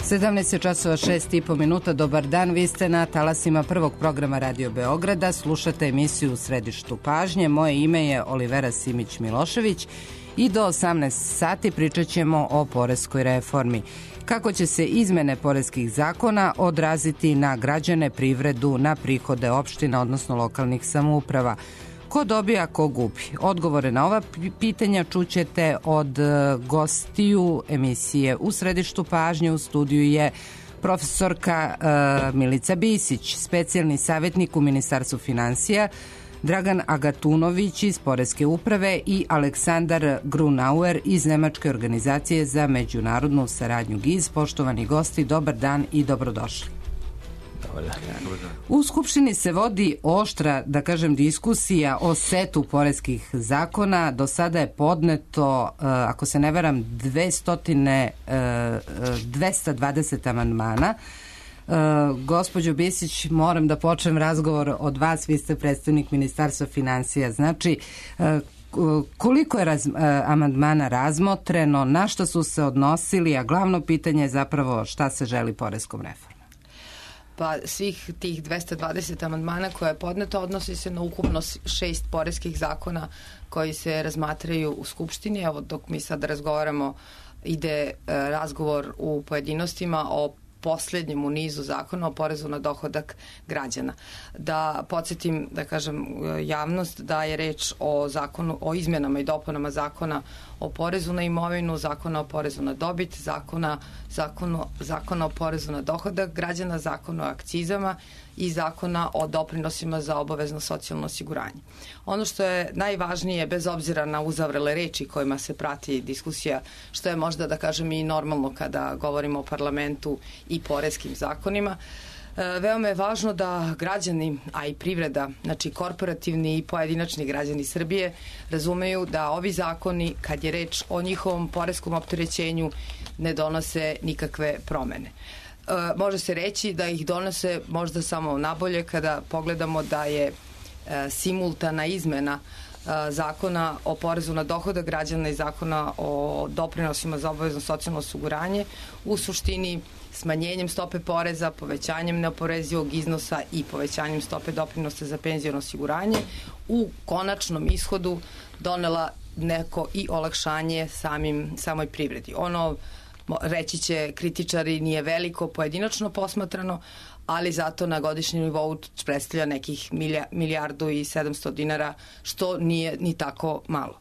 17 časova 6,5 minuta. Dobar dan, vi ste na talasima prvog programa Radio Beograda. Slušate emisiju U središtu pažnje. Moje ime je Olivera Simić-Milošević i do 18 sati pričat ćemo o poreskoj reformi. Kako će se izmene poreskih zakona odraziti na građane, privredu, na prihode opština, odnosno lokalnih samouprava? Ko dobija, ko gubi? Odgovore na ova pitanja čućete od gostiju emisije U središtu pažnje. U studiju je profesorka Milica Bisić, specijalni savjetnik u Ministarstvu finansija, Dragan Agatunović iz Poreske uprave i Aleksandar Grunauer iz Nemačke organizacije za međunarodnu saradnju GIZ. Poštovani gosti, dobar dan i dobrodošli. U Skupštini se vodi oštra, da kažem, diskusija o setu poreskih zakona. Do sada je podneto, ako se ne varam, 220 amandmana. Gospođo Bisić, moram da počnem razgovor od vas, vi ste predstavnik Ministarstva finansija. Znači, koliko je amandmana razmotreno, na što su se odnosili, a glavno pitanje je zapravo šta se želi poreskom reformom? Pa svih tih 220 amandmana koje je podneto odnosi se na ukupno 6 poreskih zakona koji se razmatraju u Skupštini. Evo, dok mi sad razgovaramo, ide razgovor u pojedinostima o poslednjem u nizu zakona o porezu na dohodak građana. Da podsjetim, da kažem javnost, da je reč o zakonu, o izmenama i dopunama zakona o porezu na imovinu, zakona o porezu na dobit, zakona o porezu na dohodak građana, zakona o akcizama i zakona o doprinosima za obavezno socijalno osiguranje. Ono što je najvažnije, bez obzira na uzavrele reči kojima se prati diskusija, što je možda, da kažem, i normalno kada govorimo o parlamentu i poreskim zakonima, veoma je važno da građani, a i privreda, znači korporativni i pojedinačni građani Srbije, razumeju da ovi zakoni, kad je reč o njihovom poreskom opterećenju, ne donose nikakve promene. Može se reći da ih donose možda samo nabolje kada pogledamo da je simultana izmena zakona o porezu na dohodak građana i zakona o doprinosima za obavezno socijalno osiguranje u suštini smanjenjem stope poreza, povećanjem neoporezivog iznosa i povećanjem stope doprinosa za penziono osiguranje u konačnom ishodu donela neko i olakšanje samoj privredi. Ono, reći će kritičari, nije veliko pojedinačno posmatrano, ali zato na godišnjem nivou predstavlja nekih milijardu i 700 dinara, što nije ni tako malo.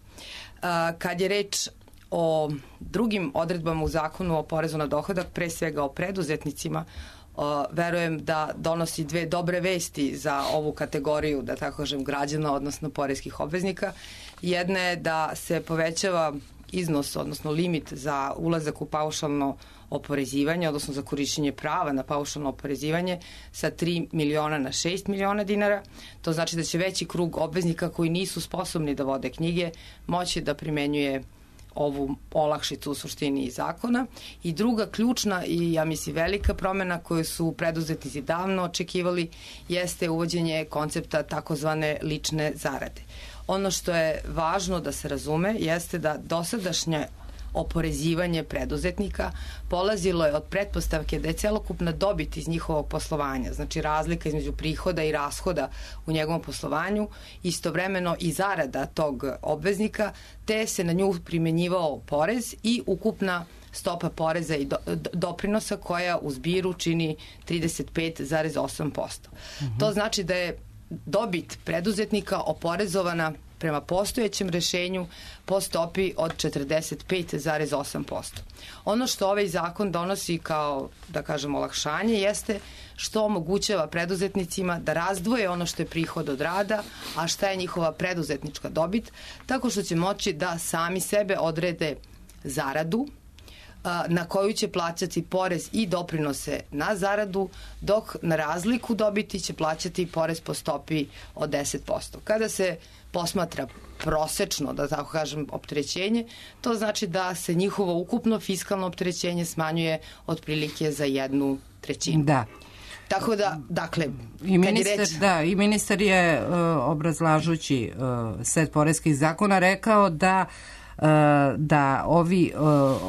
Kad je reč o drugim odredbama u zakonu o porezu na dohodak, pre svega o preduzetnicima, verujem da donosi dve dobre vesti za ovu kategoriju, da tako kažem, građana, odnosno poreskih obveznika. Jedna je da se povećava iznos, odnosno limit za ulazak u paušalno oporezivanje, odnosno za korišćenje prava na paušalno oporezivanje sa 3 miliona na 6 miliona dinara. To znači da će veći krug obveznika koji nisu sposobni da vode knjige moći da primenjuje ovu olakšicu u suštini zakona. I druga ključna i, ja mislim, velika promena koju su preduzetnici davno očekivali jeste uvođenje koncepta takozvane lične zarade. Ono što je važno da se razume jeste da dosadašnje oporezivanje preduzetnika polazilo je od pretpostavke da je celokupna dobit iz njihovog poslovanja, znači razlika između prihoda i rashoda u njegovom poslovanju, istovremeno i zarada tog obveznika, te se na nju primenjivao porez i ukupna stopa poreza i doprinosa koja u zbiru čini 35,8%. To znači da je dobit preduzetnika oporezovana prema postojećem rešenju po stopi od 45,8%. Ono što ovaj zakon donosi kao, da kažem, olakšanje jeste što omogućava preduzetnicima da razdvoje ono što je prihod od rada, a šta je njihova preduzetnička dobit, tako što će moći da sami sebe odrede zaradu na koju će plaćati porez i doprinose na zaradu, dok na razliku dobiti će plaćati porez po stopi od 10%. Kada se posmatra prosečno, da tako kažem, opterećenje, to znači da se njihovo ukupno fiskalno opterećenje smanjuje otprilike za 1/3. Da. Tako da, dakle, i ministar je obrazlažući set poreskih zakona rekao da da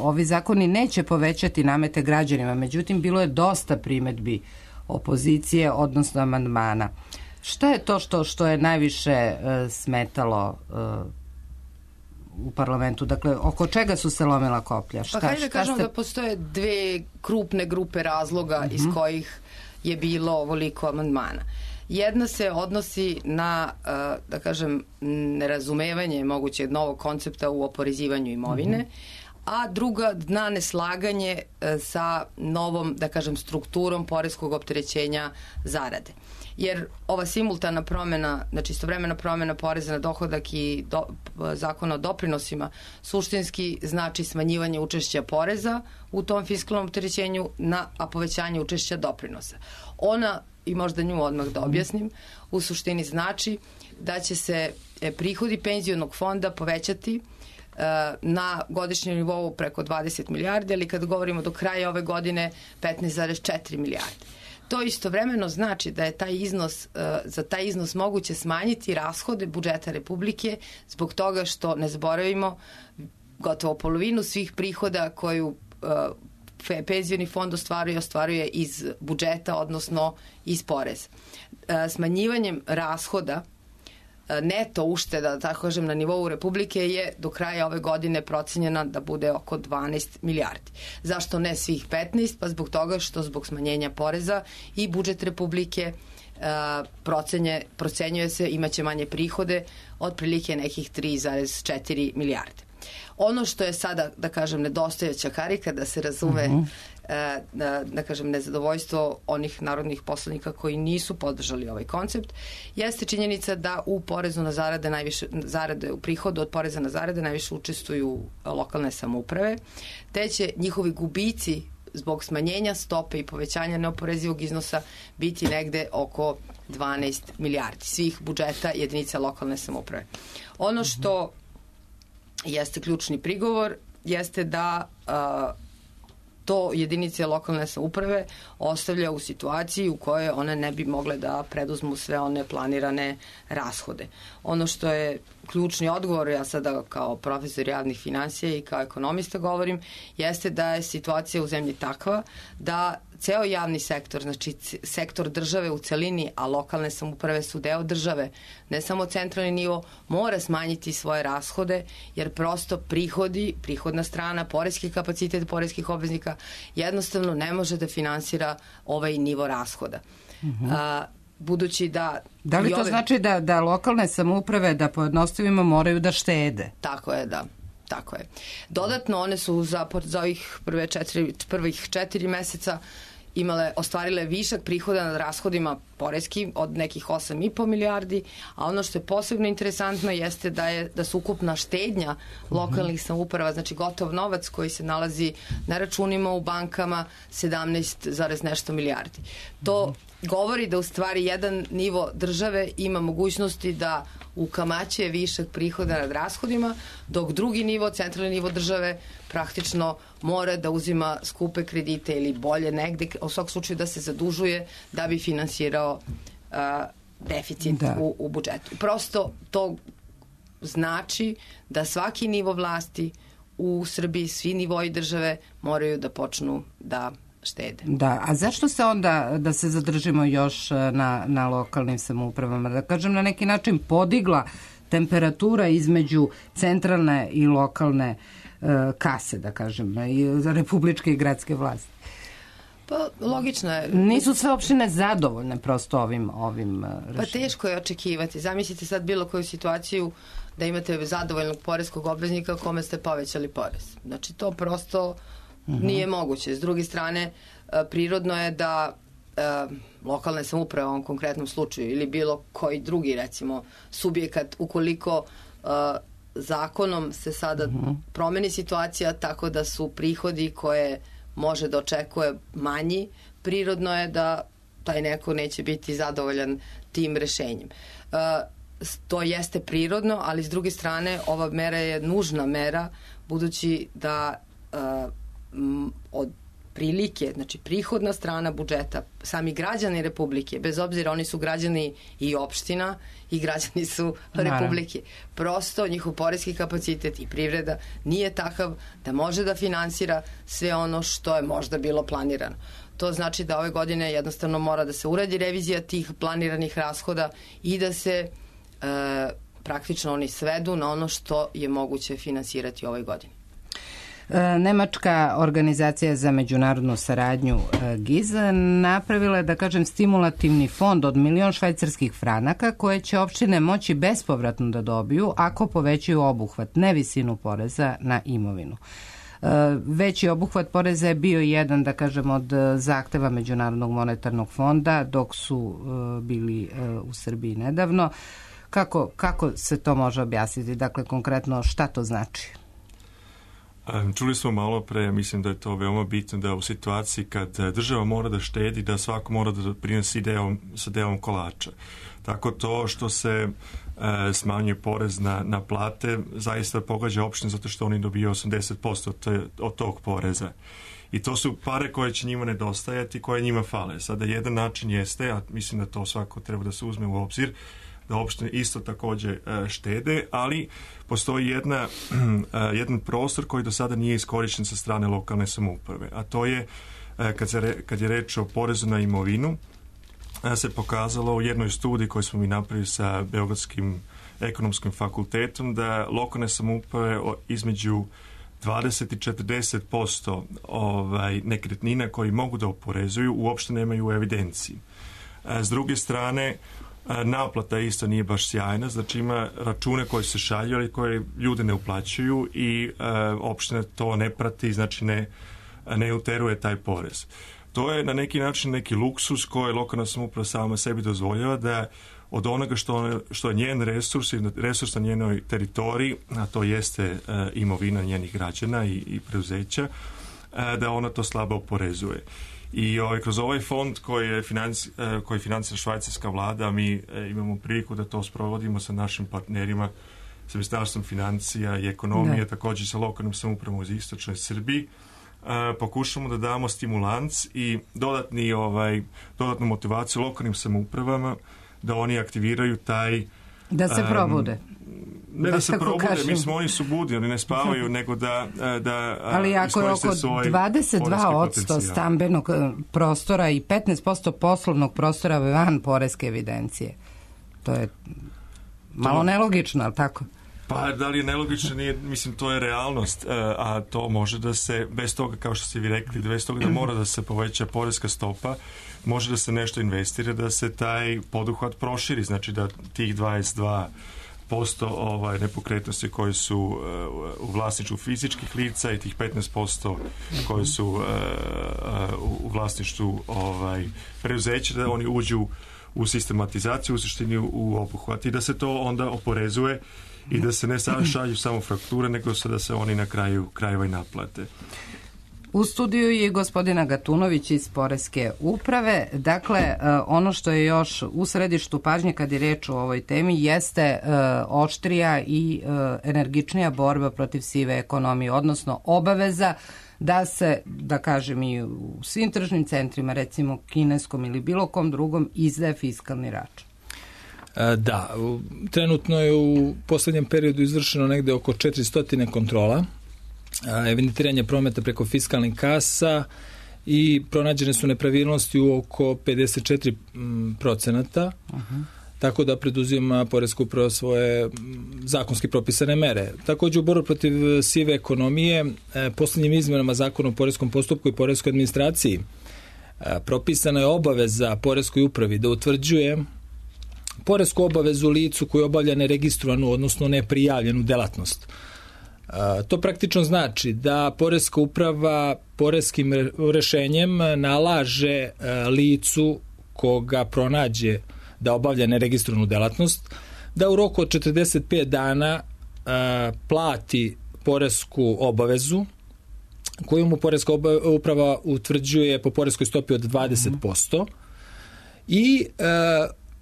ovi zakoni neće povećati namete građanima. Međutim, bilo je dosta primedbi opozicije, odnosno amandmana. Šta je to što je najviše smetalo u parlamentu? Dakle, oko čega su se lomila koplja? Pa hajde da kažemo da postoje dve krupne grupe razloga iz kojih je bilo ovoliko amandmana. Jedna se odnosi na, da kažem, nerazumevanje mogućeg novog koncepta u oporezivanju imovine, a druga na neslaganje sa novom, da kažem, strukturom poreskog opterećenja zarade. Jer ova simultana promena, znači istovremena promena poreza na dohodak i zakona o doprinosima suštinski znači smanjivanje učešća poreza u tom fiskalnom opterećenju a povećanje učešća doprinosa. Ona, i možda nju odmah da objasnim, u suštini znači da će se prihodi penzionog fonda povećati na godišnjem nivou preko 20 milijardi, ali kad govorimo do kraja ove godine 15,4 milijarde. To istovremeno znači da je za taj iznos moguće smanjiti rashode budžeta Republike zbog toga što, ne zaboravimo, gotovo polovinu svih prihoda koju penzioni fond ostvaruje iz budžeta, odnosno iz poreza. Smanjivanjem rashoda neto ušteda, tako kažem, na nivou Republike je do kraja ove godine procenjena da bude oko 12 milijardi. Zašto ne svih 15? Pa zbog toga što zbog smanjenja poreza i budžet Republike procenjuje se imaće manje prihode, otprilike nekih 3,4 milijarde. Ono što je sada, da kažem, nedostajuća karika, da se razume, da kažem, nezadovoljstvo onih narodnih poslanika koji nisu podržali ovaj koncept, jeste činjenica da u porezu na zarade, u prihodu od poreza na zarade najviše učestvuju lokalne samouprave, te će njihovi gubici zbog smanjenja stope i povećanja neoporezivog iznosa biti negde oko 12 milijardi svih budžeta jedinica lokalne samouprave. Ono što jeste ključni prigovor, jeste da to jedinice lokalne samouprave ostavlja u situaciji u kojoj one ne bi mogle da preduzmu sve one planirane rashode. Ono što je ključni odgovor, ja sada kao profesor javnih finansija i kao ekonomista govorim, jeste da je situacija u zemlji takva da ceo javni sektor, znači sektor države u celini, a lokalne samouprave su deo države, ne samo centralni nivo, mora smanjiti svoje rashode, jer prosto prihodna strana, poreski kapacitet poreskih obveznika jednostavno ne može da finansira ovaj nivo rashoda. Budući da... Da li to znači da lokalne samouprave, da pojednostavimo, moraju da štede? Tako je, da. Tako je. Dodatno, one su za ovih prvih 4 meseca ostvarile višak prihoda nad rashodima poreski od nekih 8,5 milijardi, a ono što je posebno interesantno jeste da su ukupna štednja lokalnih samouprava, znači gotov novac koji se nalazi na računima u bankama, 17, nešto milijardi. To govori da u stvari jedan nivo države ima mogućnosti da ukamaćuje višak prihoda nad rashodima, dok drugi nivo, centralni nivo države, praktično mora da uzima skupe kredite ili bolje negde, u svakom slučaju da se zadužuje da bi finansirao deficit u budžetu. Prosto to znači da svaki nivo vlasti u Srbiji, svi nivoji države moraju da počnu da štede. Da, a zašto se onda, da se zadržimo još na lokalnim samoupravama, da kažem na neki način podigla temperatura između centralne i lokalne kase, da kažem, i za republičke i gradske vlasti? Pa, logično je. Nisu sve opštine zadovoljne prosto ovim rešenjem. Pa teško je očekivati. Zamislite sad bilo koju situaciju da imate zadovoljnog poreskog obveznika kome ste povećali porez. Znači, to prosto nije moguće. S druge strane, prirodno je da lokalne samouprave u ovom konkretnom slučaju ili bilo koji drugi, recimo, subjekat, ukoliko zakonom se sada promeni situacija tako da su prihodi koje može da očekuje manji, prirodno je da taj neko neće biti zadovoljan tim rešenjem. To jeste prirodno, ali s druge strane ova mera je nužna mera, budući da od prilike, znači prihodna strana budžeta, sami građani Republike, bez obzira oni su građani i opština i građani su Republike. Prosto njihov poreski kapacitet i privreda nije takav da može da finansira sve ono što je možda bilo planirano. To znači da ove godine jednostavno mora da se uradi revizija tih planiranih rashoda i da se praktično oni svedu na ono što je moguće finansirati u ovoj godini. Nemačka organizacija za međunarodnu saradnju GIZ napravila je, da kažem, stimulativni fond od 1.000.000 švajcarskih franaka koje će opštine moći bespovratno da dobiju ako povećaju obuhvat, ne visinu poreza na imovinu. Veći obuhvat poreza je bio jedan, da kažem, od zahteva Međunarodnog monetarnog fonda dok su bili u Srbiji nedavno. Kako se to može objasniti? Dakle, konkretno šta to znači? Čuli smo malo pre, mislim da je to veoma bitno da u situaciji kad država mora da štedi, da svako mora da prinosi sa delom kolača. Tako to što se smanjuje porez na plate zaista pogađa opštine zato što oni dobiju 80% od tog poreza. I to su pare koje će njima nedostajati, koje njima fale. Sada jedan način jeste, a mislim da to svako treba da se uzme u obzir, da opštine isto takođe štede, ali postoji jedan prostor koji do sada nije iskorišćen sa strane lokalne samouprave, a to je kad je reč o porezu na imovinu, se pokazalo u jednoj studiji koju smo mi napravili sa Beogradskim ekonomskim fakultetom da lokalne samouprave između 20 i 40% nekretnina koji mogu da oporezuju uopšte nemaju u evidenciji. S druge strane, naplata isto nije baš sjajna, znači ima račune koje se šalju, ali koje ljude ne uplaćuju i opština to ne prati, znači ne uteruje taj porez. To je na neki način neki luksus koji lokalna samouprava sama sebi dozvoljava da od onoga što je njen resurs na njenoj teritoriji, a to jeste imovina njenih građana i preduzeća, da ona to slabo oporezuje. I kroz ovaj fond koji finansira švajcarska vlada, mi imamo priliku da to sprovodimo sa našim partnerima, sa Ministarstvom financija i ekonomije, također sa lokalnim samoupravom u istočnoj Srbiji. Pokušamo da damo stimulans i dodatnu motivaciju lokalnim samoupravama da oni aktiviraju taj... Da se probude. Ne da se probude, oni su budi, oni ne spavaju, nego da ali ako je oko 22% stambenog prostora i 15% poslovnog prostora van poreske evidencije, to je malo nelogično, ali tako? Pa da li je nelogično, nije, mislim to je realnost, a to može da se, bez toga kao što ste vi rekli, bez toga da mora da se poveća poreska stopa, može da se nešto investira, da se taj poduhvat proširi, znači da tih 22% nepokretnosti koje su u vlasništvu fizičkih lica i tih 15% koje su u vlasništvu preduzeća, da oni uđu u sistematizaciju, u suštini u obuhvat i da se to onda oporezuje i da se ne šalju samo frakture, nego da se oni na kraju krajeva i naplate. U studiju je gospodina Gatunović iz Poreske uprave. Dakle, ono što je još u središtu pažnje kad je reč o ovoj temi jeste oštrija i energičnija borba protiv sive ekonomije, odnosno obaveza da se, da kažem i u svim tržnim centrima, recimo kineskom ili bilo kom drugom, izdaje fiskalni račun. Da, trenutno je u poslednjem periodu izvršeno negde oko 400 kontrola, evidentiranje prometa preko fiskalnih kasa i pronađene su nepravilnosti u oko 54%, tako da preduzima Poreska uprava svoje zakonski propisane mere. Također u borbi protiv sive ekonomije, poslednjim izmenama Zakona o poreskom postupku i poreskoj administraciji propisana je obaveza Poreskoj upravi da utvrđuje poresku obavezu licu koji obavlja neregistrovanu, odnosno neprijavljenu delatnost. To praktično znači da Poreska uprava poreskim rešenjem nalaže licu koga pronađe da obavlja neregistrovanu delatnost, da u roku od 45 dana plati poresku obavezu koju mu Poreska uprava utvrđuje po poreskoj stopi od 20% i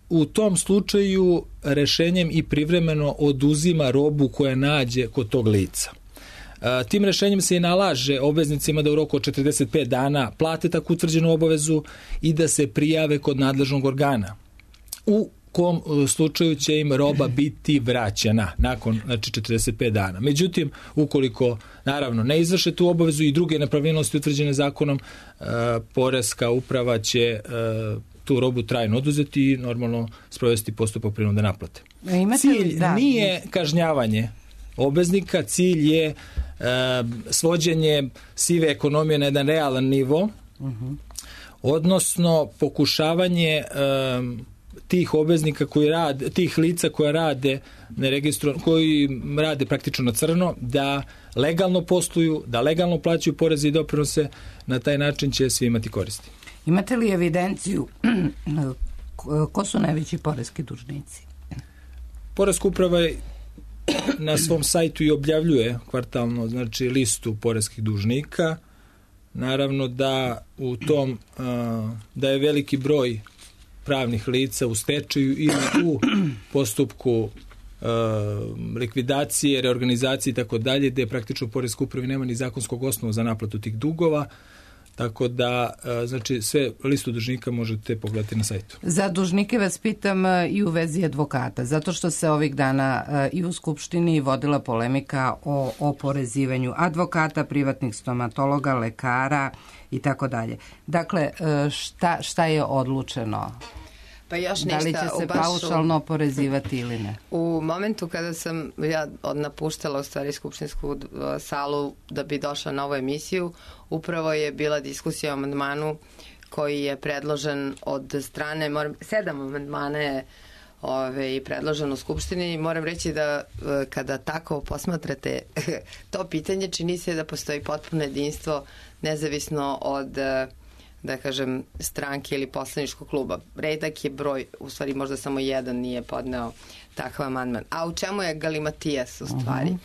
u tom slučaju rešenjem i privremeno oduzima robu koja nađe kod tog lica. Tim rešenjem se i nalaže obveznicima da u roku od 45 dana plate tako utvrđenu obavezu i da se prijave kod nadležnog organa. U kom slučaju će im roba biti vraćena nakon 45 dana. Međutim, ukoliko naravno ne izvrše tu obavezu i druge nepravilnosti utvrđene zakonom, poreska uprava će tu robu trajno oduzeti i normalno sprovesti postupak prinudne naplate. Cilj nije kažnjavanje obveznika, cilj je svođenje sive ekonomije na jedan realan nivo, odnosno pokušavanje tih obveznika koji rade, tih lica koja rade koji rade praktično na crno, da legalno posluju, da legalno plaćaju poreze i doprinose, na taj način će svi imati koristi. Imate li evidenciju ko su najveći poreski dužnici? Poreska uprava na svom sajtu i objavljuje kvartalno, znači, listu poreskih dužnika. Naravno da u tom da je veliki broj pravnih lica u stečaju ili u postupku likvidacije, reorganizacije i tako dalje, gde praktično poreska upravi nema ni zakonskog osnova za naplatu tih dugova, tako da, znači, sve listu dužnika možete pogledati na sajtu. Za dužnike vas pitam i u vezi advokata, zato što se ovih dana i u Skupštini vodila polemika o oporezivanju advokata, privatnih stomatologa, lekara i tako dalje. Dakle, šta je odlučeno? Pa još da li će se paušalno oporezivati ili ne? U momentu kada sam ja napuštala u stvari skupštinsku salu da bi došla na ovu emisiju, upravo je bila diskusija o amandmanu koji je predložen od strane, 7 amandmana je predložen u Skupštini. Moram reći da kada tako posmatrate to pitanje, čini se da postoji potpuno jedinstvo nezavisno od, da kažem, stranke ili poslaničkog kluba. Redak je broj, u stvari možda samo jedan nije podneo takav amandman. A u čemu je galimatijas u stvari?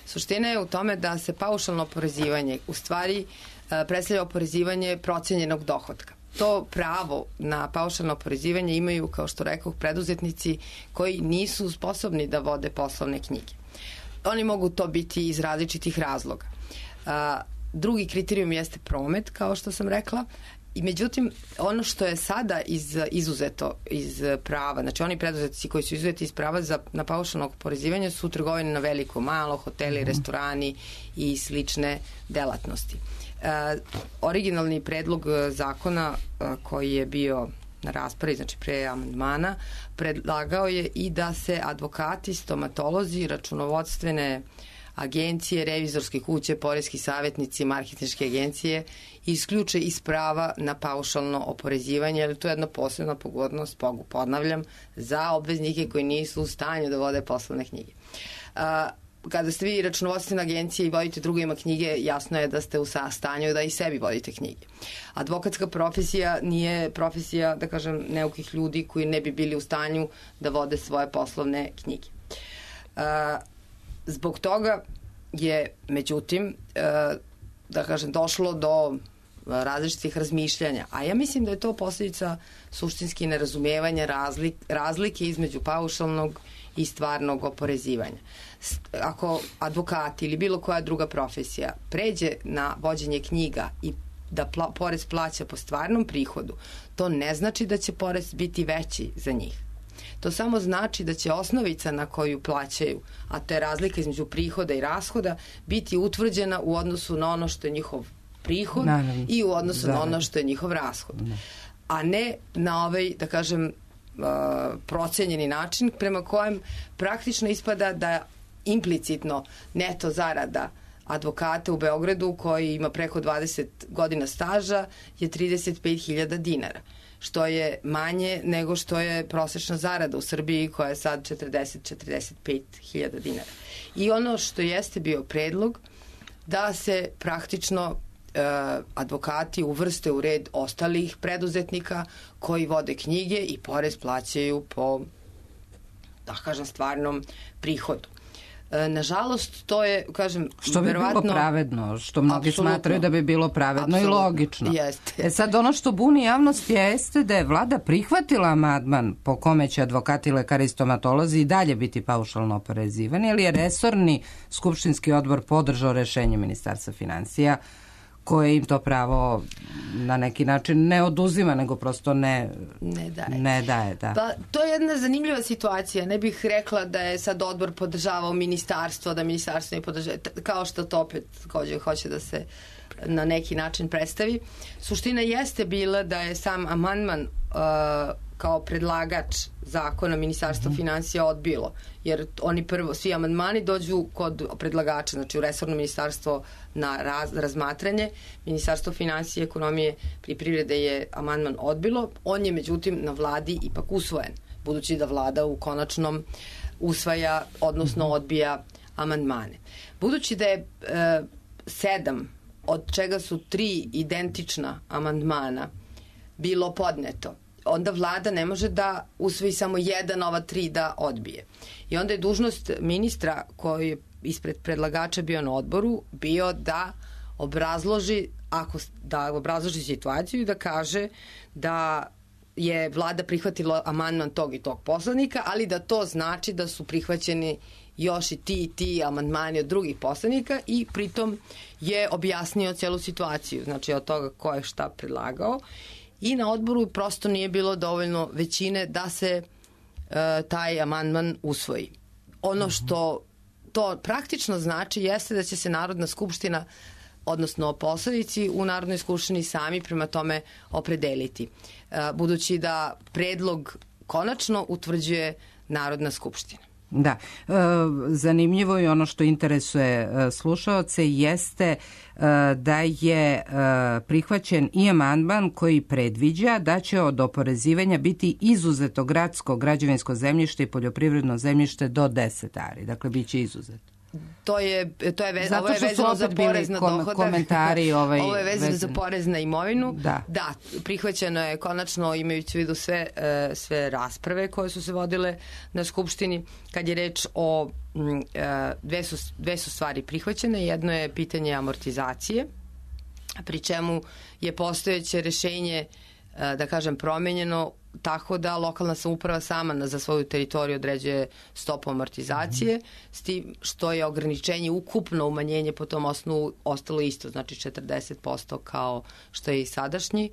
Suština je u tome da se paušalno oporezivanje u stvari predstavlja oporezivanje procenjenog dohotka. To pravo na paušalno oporezivanje imaju, kao što rekoh, preduzetnici koji nisu sposobni da vode poslovne knjige. Oni mogu to biti iz različitih razloga. Drugi kriterijum jeste promet, kao što sam rekla. I međutim, ono što je sada izuzeto iz prava, znači oni preduzetnici koji su izuzeti iz prava na paušalno oporezivanje su trgovine na veliko, malo, hoteli, restorani i slične delatnosti. Originalni predlog zakona koji je bio na raspravi, znači pre amandmana, predlagao je i da se advokati, stomatolozi, računovodstvene agencije, revizorske kuće, poreski savjetnici, marketinške agencije isključe iz prava na paušalno oporezivanje, jer to je jedna posebna pogodnost, ponavljam, za obveznike koji nisu u stanju da vode poslovne knjige. Kada ste vi računovodstvena agencija i vodite drugima knjige, jasno je da ste u stanju da i sebi vodite knjige. Advokatska profesija nije profesija, da kažem, neukih ljudi koji ne bi bili u stanju da vode svoje poslovne knjige. Zbog toga je, međutim, da kažem, došlo do različitih razmišljanja, a ja mislim da je to posljedica suštinski nerazumijevanja razlike između paušalnog i stvarnog oporezivanja. Ako advokati ili bilo koja druga profesija pređe na vođenje knjiga i da porez plaća po stvarnom prihodu, to ne znači da će porez biti veći za njih. To samo znači da će osnovica na koju plaćaju, a to je razlika između prihoda i rashoda, biti utvrđena u odnosu na ono što je njihov prihod i u odnosu na ono što je njihov rashod. A ne na ovaj, da kažem, procenjeni način prema kojem praktično ispada da implicitno neto zarada advokata u Beogradu koji ima preko 20 godina staža je 35.000 dinara, što je manje nego što je prosečna zarada u Srbiji koja je sad 40-45.000 dinara. I ono što jeste bio predlog da se praktično advokati uvrste u red ostalih preduzetnika koji vode knjige i porez plaćaju po, da kažem, stvarnom prihodu. Nažalost, to je, kažem, što bi bilo pravedno, što mnogi smatraju da bi bilo pravedno i logično. Jeste. Sad, ono što buni javnost jeste da je vlada prihvatila amandman po kome će advokati, lekari i stomatolozi i dalje biti paušalno oporezivani, ali je resorni skupštinski odbor podržao rešenje Ministarstva finansija koje im to pravo na neki način ne oduzima, nego prosto ne daje. Da. Pa, to je jedna zanimljiva situacija. Ne bih rekla da je sad odbor podržavao ministarstvo, da ministarstvo ne podržava, kao što to opet hoće da se na neki način predstavi. Suština jeste bila da je sam amandman kao predlagač zakona Ministarstva finansija odbilo, jer oni prvo, svi amandmani dođu kod predlagača, znači u resorno ministarstvo na razmatranje. Ministarstvo finansije, ekonomije i privrede je amandman odbilo, on je međutim na vladi ipak usvojen, budući da vlada u konačnom usvaja, odnosno odbija amandmane. Budući da je 7, od čega su 3 identična amandmana bilo podneto, onda vlada ne može da usvoji samo jedan, ova 3 da odbije. I onda je dužnost ministra koji je ispred predlagača bio na odboru bio da obrazloži situaciju i da kaže da je vlada prihvatila amandman tog i tog poslanika, ali da to znači da su prihvaćeni još i ti amandmani od drugih poslanika i pritom je objasnio celu situaciju, znači od toga ko je šta predlagao. I na odboru prosto nije bilo dovoljno većine da se taj amandman usvoji. Ono što to praktično znači jeste da će se Narodna skupština, odnosno poslanici u Narodnoj skupštini sami prema tome opredeliti. Budući da predlog konačno utvrđuje Narodna skupština. Da, zanimljivo je ono što interesuje slušaoce jeste da je prihvaćen i amandman koji predviđa da će od oporezivanja biti izuzeto gradsko, građevinsko zemljište i poljoprivredno zemljište do 10 ari. Dakle, bit će izuzeto. Ovo je vezano za porez na dohodak. Komentari ovo je vezano za porez na imovinu. Da, prihvaćeno je konačno, imajući u vidu sve rasprave koje su se vodile na Skupštini. Kad je reč o dve su stvari prihvaćene. Jedno je pitanje amortizacije, pri čemu je postojeće rešenje, da kažem, promenjeno tako da lokalna samouprava sama za svoju teritoriju određuje stopu amortizacije, s tim što je ograničenje ukupno umanjenje po tom osnovu ostalo isto, znači 40% kao što je i sadašnji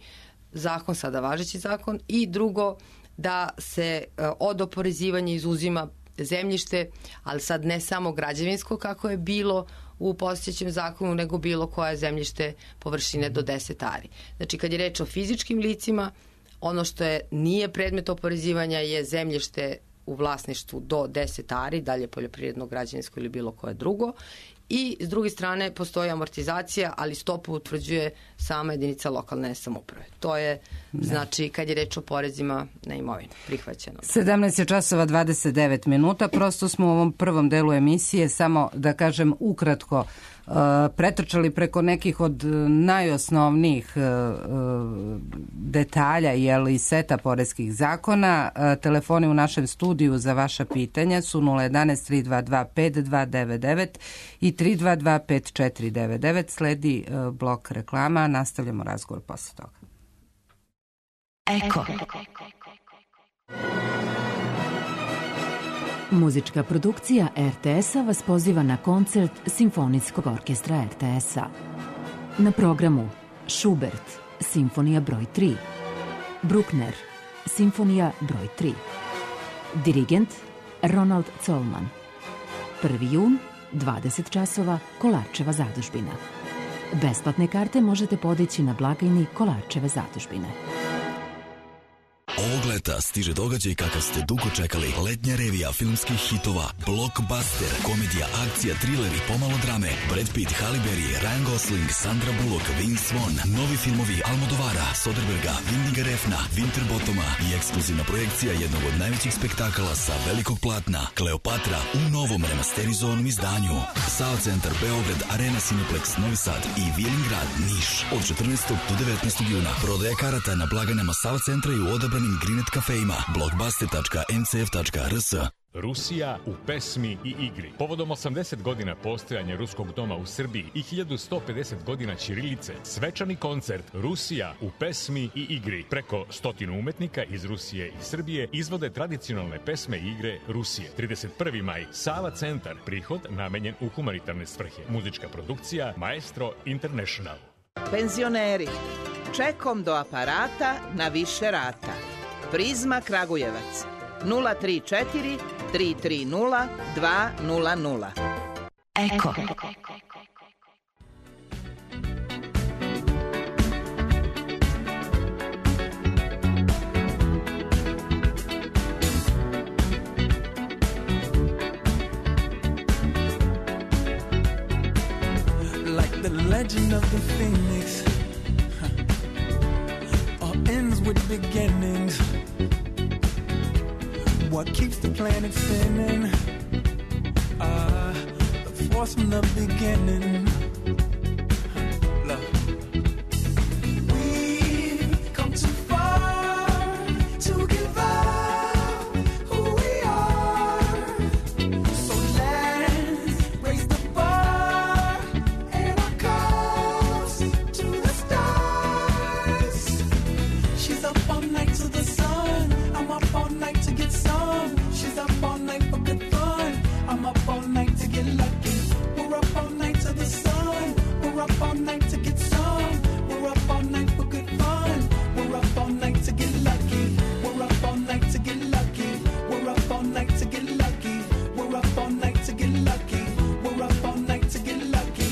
zakon, sada važeći zakon. I drugo, da se od oporezivanja izuzima zemljište, ali sad ne samo građevinsko kako je bilo u postojećem zakonu, nego bilo koje zemljište površine do 10 ari. Znači, kad je reč o fizičkim licima, ono što nije predmet oporezivanja je zemljište u vlasništvu do 10 ari, dalje poljoprivredno, građevinsko ili bilo koje drugo. I s druge strane postoji amortizacija, ali stopu utvrđuje sama jedinica lokalne samouprave. To je, znači, kad je reč o porezima na imovinu, prihvaćeno. 17:29. Prosto smo u ovom prvom delu emisije, samo da kažem ukratko, pretrčali preko nekih od najosnovnijih detalja i seta poreskih zakona. Telefoni u našem studiju za vaša pitanja su 011 322 5299 i 322 5499. Sledi blok reklama, nastavljamo razgovor posle toga. Eko. Muzička produkcija RTS-a vas poziva na koncert Simfonijskog orkestra RTS-a. Na programu Schubert, Simfonija broj 3, Bruckner, Simfonija broj 3, dirigent Ronald Zollman. 1. jun, 20 časova, Kolarčeva zadužbina. Besplatne karte možete podići na blagajni Kolarčeve zadužbine. Ovog leta stiže događaj kakav ste dugo čekali. Letnja revija filmskih hitova, blockbuster, komedija, akcija, thriller i pomalo drame. Brad Pitt, Halle Berry, Ryan Gosling, Sandra Bullock, Vince Vaughn, novi filmovi Almodovara, Soderberga, Windiga Refna, Winterbottoma i ekskluzivna projekcija jednog od najvećih spektakala sa velikog platna, Kleopatra, u novom remasterizovanom izdanju. Sava centar Beograd, Arena Cineplex, Novi Sad i Vilingrad, Niš. Od 14. do 19. juna prodaja karata na blagajnama Sava centra i u odabranim Grinet kafejima, blockbuster.ncf.rs. Rusija u pesmi i igri. Povodom 80 godina postojanja Ruskog doma u Srbiji i 1150 godina ćirilice, svečani koncert Rusija u pesmi i igri. Preko 100 umetnika iz Rusije i Srbije izvode tradicionalne pesme i igre Rusije. 31. maj, Sava centar, prihod namenjen u humanitarne svrhe. Muzička produkcija Maestro International. Penzioneri, čekom do aparata na više rata. Prizma Kragujevac 034 330 200. Eko. Like the legend of the phoenix, all ends with beginnings. What keeps the planet spinning? The force from the beginning. Love. We've come too far to give up who we are. So let's raise the bar and our cups to the stars. She's up all night to the sun. I'm up all night to get some. She's up all night for good fun. I'm up all night to get lucky. We're up all night to the sun. We're up all night to get some. We're up all night for good fun. We're up all night to get lucky. We're up all night to get lucky. We're up all night to get lucky. We're up all night to get lucky. We're up all night to get lucky.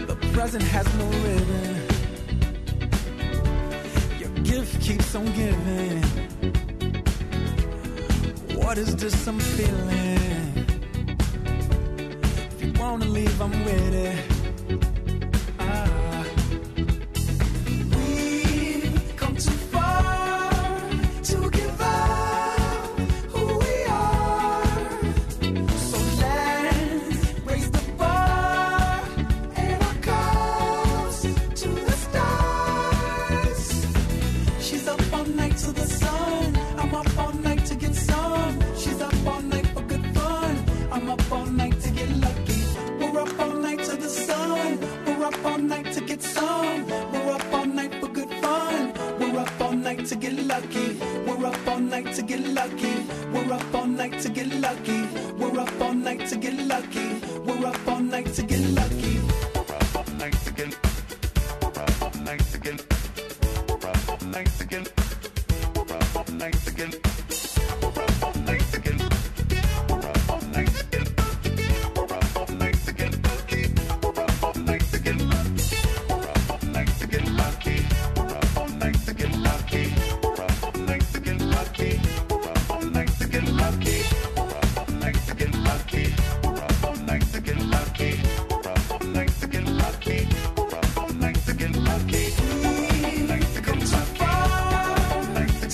The present has no ribbon. Your gift keeps on giving. What is this I'm feeling? If you wanna leave, I'm with it. We've come too far to give up who we are. So let's raise the bar and our cups to the stars. She's up all night to the sun. I'm up all night to get some. She's up all night for good fun. I'm up all night to get lucky. We're up all night to the sun. We're up all night to get some. We're up all night for good fun. We're up all night to get lucky. We're up all night to get lucky. We're up all night to get lucky. We're up all night to get lucky. We're up all night to get lucky. We're up all night to get. We're up all night to get. We're up all night to get. We're up all night to get. We're up all night to get. We're up all night to get. We're up all night to get. We're up all night to get. We're up all night to get lucky. We're up all night to get lucky. We're up all night to get lucky. We're up all night to get lucky. We're up all night to get lucky. We're up all night to get lucky. We're up all night to get lucky. We're up all night to get lucky. We've come too far to give up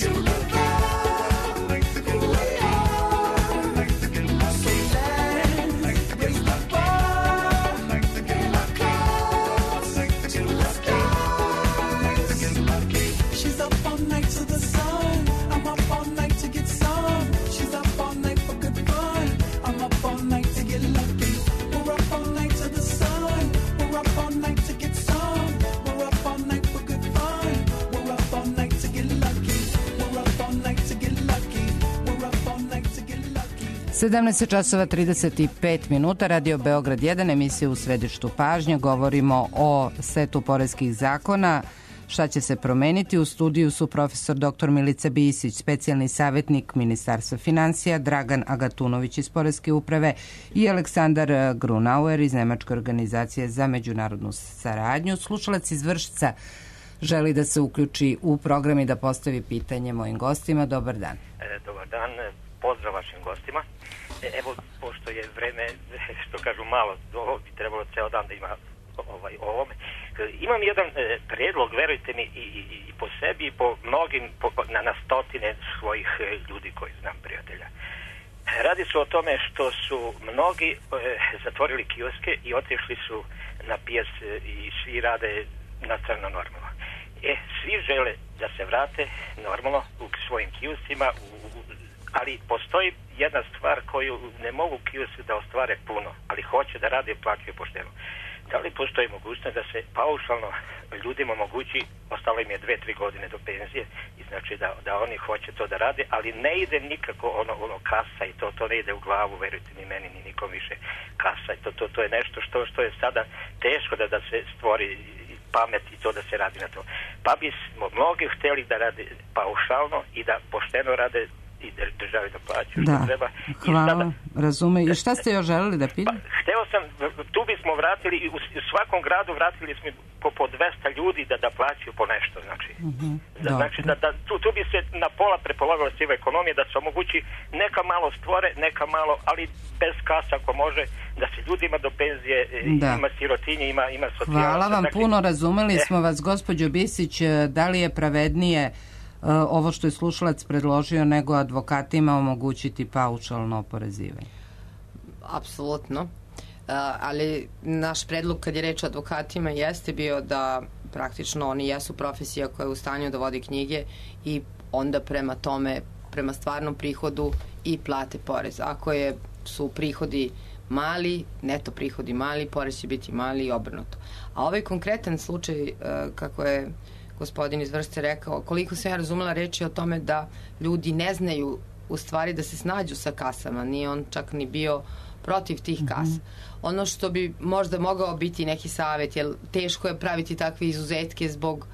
who we are. So let's raise the bar and our cups to the stars. She's up all night to the sun. I'm up all night to get some. She's up all night for good fun. I'm up all night to get lucky. We're up all night to the sun. We're up all night to get some. We're up all night for good fun. We're up all night to get lucky. We're up all night to get lucky. We're up all night to get lucky. 17 časova 35 minuta, Radio Beograd 1, emisija u središtu pažnje. Govorimo o setu poreskih zakona. Šta će se promeniti? U studiju su profesor dr. Milica Bisić, specijalni savjetnik Ministarstva financija, Dragan Agatunović iz Poreske uprave i Aleksandar Grunauer iz Nemačke organizacije za međunarodnu saradnju. Slušalac iz Vršca želi da se uključi u program i da postavi pitanje mojim gostima. Dobar dan. Dobar dan, pozdrav vašim gostima. Evo, pošto je vreme, što kažu malo, ovo bi trebalo ceo dan da ima o ovome. Imam jedan predlog, verujte mi, i po sebi i po mnogim, na stotine svojih ljudi koji znam, prijatelja. Radi se o tome što su mnogi zatvorili kioske i otišli su na pijac i svi rade na crno normalno. svi žele da se vrate normalno u svojim kioscima, ali postoji jedna stvar koju ne mogu kiosci da ostvare puno, ali hoće da rade i plaćaju pošteno. Da li postoji mogućnost da se paušalno ljudima omogući, ostalo im je 2-3 godine do penzije, i znači da oni hoće to da rade, ali ne ide nikako ono kasa i to ne ide u glavu, verujte ni meni, ni nikom više kasa, i to je nešto što je sada teško da se stvori pamet i to da se radi na to. Pa bismo mnogi htjeli da rade paušalno i da pošteno rade i državi da plaćaju što treba. Hvala, razume. I šta ste još želeli da pitam? Hteo sam, tu bismo vratili, u svakom gradu vratili smo po 200 ljudi da plaćaju po nešto. Znači, znači tu bi se na pola prepolovila siva ekonomija, da se omogući neka malo stvore, neka malo, ali bez kasa ako može, da se ljudima do penzije, ima sirotinje, ima socijalaca. Hvala vam puno, razumeli smo vas, gospođo Bisić. Da li je pravednije ovo što je slušalac predložio nego advokatima omogućiti paušalno oporezivanje? Apsolutno. Ali naš predlog kad je reč o advokatima jeste bio da praktično oni jesu profesija koja je u stanju da vodi knjige i onda prema tome, prema stvarnom prihodu i plate porez. Ako su prihodi mali, neto prihodi mali, porez će biti mali i obrnuto. A ovaj konkretan slučaj, kako je gospodin iz Vršca rekao, koliko sam ja razumela, reč je o tome da ljudi ne znaju u stvari da se snađu sa kasama, nije on čak ni bio protiv tih kasa. Ono što bi možda mogao biti neki savjet, jer teško je praviti takve izuzetke zbog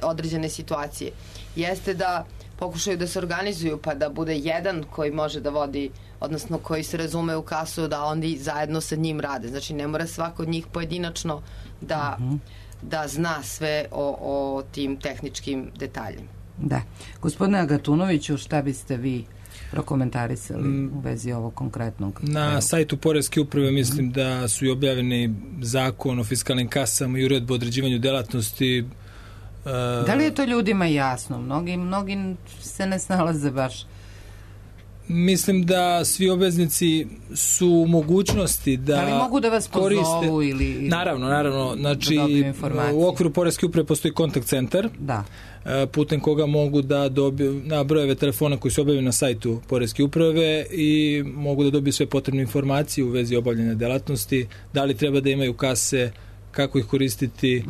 određene situacije, jeste da pokušaju da se organizuju pa da bude jedan koji može da vodi, odnosno koji se razume u kasu, da oni zajedno sa njim rade. Znači ne mora svako od njih pojedinačno da zna sve o tim tehničkim detaljima. Da. Gospodine Agatunoviću, šta biste vi prokomentarisali u vezi ovog konkretnog? Na sajtu Poreske uprave mislim da su i objavljeni zakon o fiskalnim kasama i uredbu o određivanju delatnosti. Da li je to ljudima jasno? Mnogi se ne snalaze baš. Mislim da svi obveznici su u mogućnosti da li mogu da vas koriste... pozovu ili Naravno. Znači, u okviru Poreske uprave postoji kontakt centar, putem koga mogu da dobiju na brojeve telefona koji su objavljeni na sajtu Poreske uprave i mogu da dobiju sve potrebne informacije u vezi obavljanja delatnosti, da li treba da imaju kase, kako ih koristiti,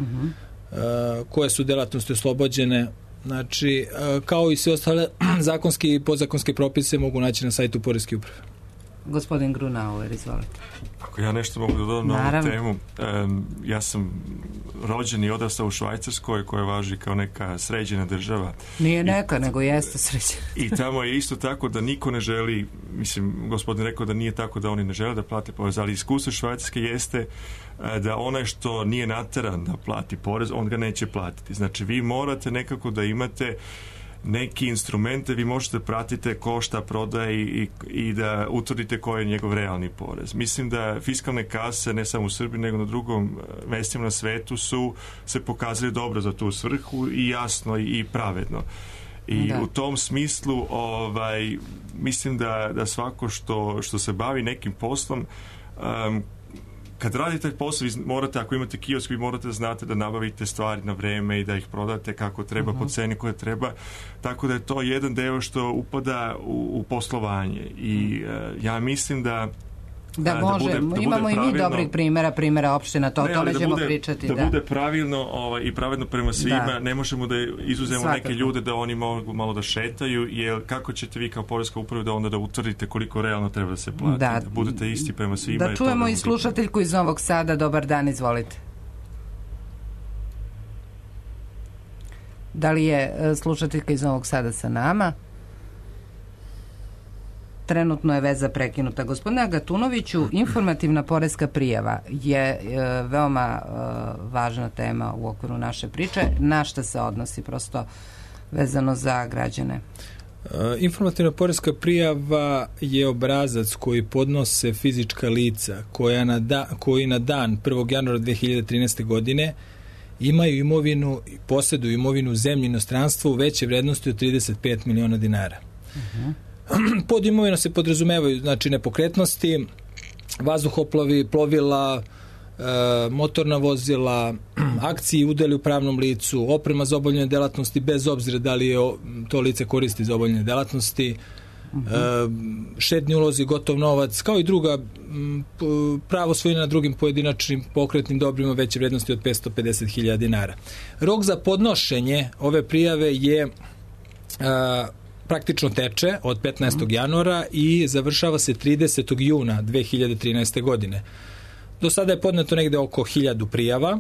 koje su delatnosti oslobođene. Znači, kao i sve ostale zakonske i podzakonske propise mogu naći na sajtu Poreske uprave. Gospodin Grunauer, izvolite. Ako ja nešto mogu da dodam na ovu temu, ja sam rođen i odrastao u Švajcarskoj, koja važi kao neka sređena država. Nije neka, nego jeste sređena. I tamo je isto tako da niko ne želi, mislim, gospodin rekao da nije tako da oni ne žele da plate porez, ali iskustvo Švajcarske jeste da onaj što nije nateran da plati porez, on ga neće platiti. Znači, vi morate nekako da imate neki instrumente, vi možete pratite ko šta prodaje i da utvrdite koji je njegov realni porez. Mislim da fiskalne kase, ne samo u Srbiji, nego na drugom mestima na svetu su se pokazali dobro za tu svrhu i jasno i pravedno. I u tom smislu mislim da svako što se bavi nekim poslom, kad radite taj posao, vi morate, ako imate kiosk, vi morate da znate da nabavite stvari na vreme i da ih prodate kako treba, po ceni koje treba. Tako da je to jedan deo što upada u poslovanje. I ja mislim da može, imamo i mi dobrih primjera opština, to ćemo pričati. Da bude pravilno i pravedno prema svima, ne možemo da izuzemo neke ljude da oni mogu malo da šetaju, jer kako ćete vi kao Poreska uprava da onda da utvrdite koliko realno treba da se plati, da budete isti prema svima. Da čujemo i slušateljku iz Novog Sada. Dobar dan, izvolite. Da li je slušateljka iz Novog Sada sa nama? Trenutno je veza prekinuta. Gospodine Agatunoviću, informativna poreska prijava je veoma važna tema u okviru naše priče. Na šta se odnosi, prosto vezano za građane? Informativna poreska prijava je obrazac koji podnose fizička lica koji na dan 1. januara 2013. godine imaju imovinu i posjeduju imovinu u zemlji i inostranstvu u veće vrednosti od 35 miliona dinara. Pod imovino se podrazumevaju, znači, nepokretnosti, vazduhoplovi, plovila, motorna vozila, akcije i udeli u pravnom licu, oprema za obavljanje delatnosti bez obzira da li je to lice koristi za obavljanje delatnosti, štedni ulozi, gotov novac, kao i druga pravo svojine na drugim pojedinačnim pokretnim dobrima veće vrednosti od 550.000 dinara. Rok za podnošenje ove prijave je praktično teče od 15. januara i završava se 30. juna 2013. godine. Do sada je podneto negde oko 1000 prijava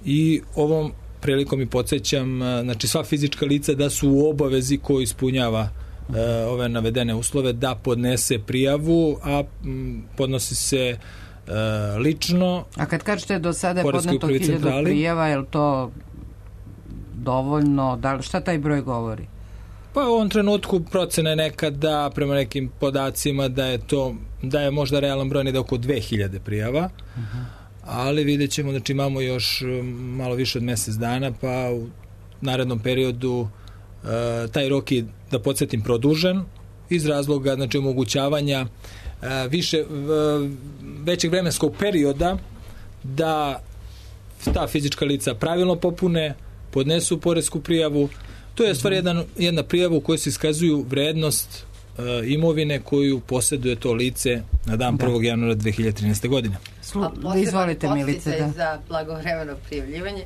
i ovom prilikom i podsjećam, znači sva fizička lica da su u obavezi ko ispunjava ove navedene uslove da podnese prijavu, a podnosi se lično. A kad kažete do sada je podneto 1000 prijava, je li to dovoljno? Šta taj broj govori? Pa u ovom trenutku procena je nekada prema nekim podacima da je možda realan broj da oko 2000 prijava, ali vidjet ćemo, znači imamo još malo više od mjesec dana, pa u narednom periodu taj rok je, da podsjetim, produžen iz razloga, znači, omogućavanja većeg vremenskog perioda da ta fizička lica pravilno popune, podnesu poresku prijavu. To je stvar jedna prijava u kojoj se iskazuju vrednost imovine koju posjeduje to lice na dan 1. januara 2013. godine. Izvolite, Milice. Za blagovremeno prijavljivanje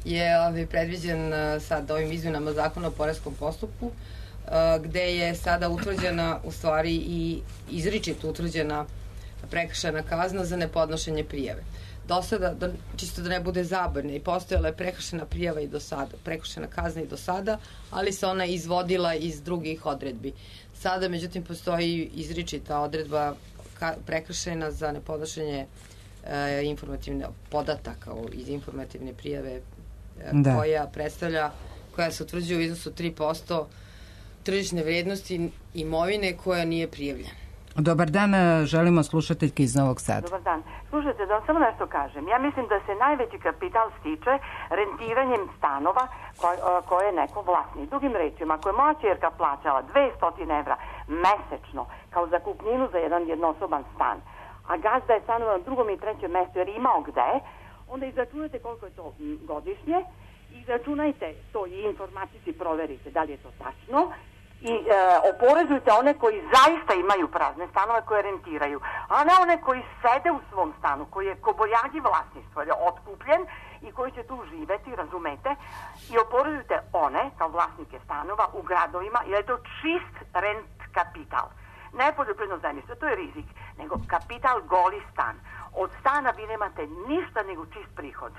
je predviđen sad ovim izmjenama zakona o poreskom postupku, gde je sada utvrđena, u stvari i izričito utvrđena prekršajna kazna za nepodnošenje prijave. Do sada, čisto da ne bude zabavne, i postojala je prekršajna prijava i do sada, prekršajna kazna i do sada, ali se ona izvodila iz drugih odredbi. Sada, međutim, postoji izričita odredba prekršajna za nepodnošenje informativne podataka iz informativne prijave koja se utvrđuje u iznosu 3% tržišne vrednosti imovine koja nije prijavljena. Dobar dan, želimo slušateljke iz Novog Sada. Dobar dan. Slušajte, da samo nešto kažem. Ja mislim da se najveći kapital stiče rentiranjem stanova koje je neko vlasnik. Drugim rečima, ako je moja ćerka plaćala 200 evra mesečno kao zakupninu za jedan jednosoban stan, a gazda je stanovao na drugom i trećem mestu jer imao gde, onda izračunajte koliko je to godišnje, izračunajte to i informatici proverite da li je to tačno, i oporezujte one koji zaista imaju prazne stanove koje rentiraju, a ne one koji sede u svom stanu, koji je kobojagi vlasništvo, je otkupljen i koji će tu živeti, razumete, i oporezujte one kao vlasnike stanova u gradovima, jer je to čist rent kapital. Ne poljoprivredno zemljište, to je rizik, nego kapital goli stan. Od stana vi nemate ništa nego čist prihod,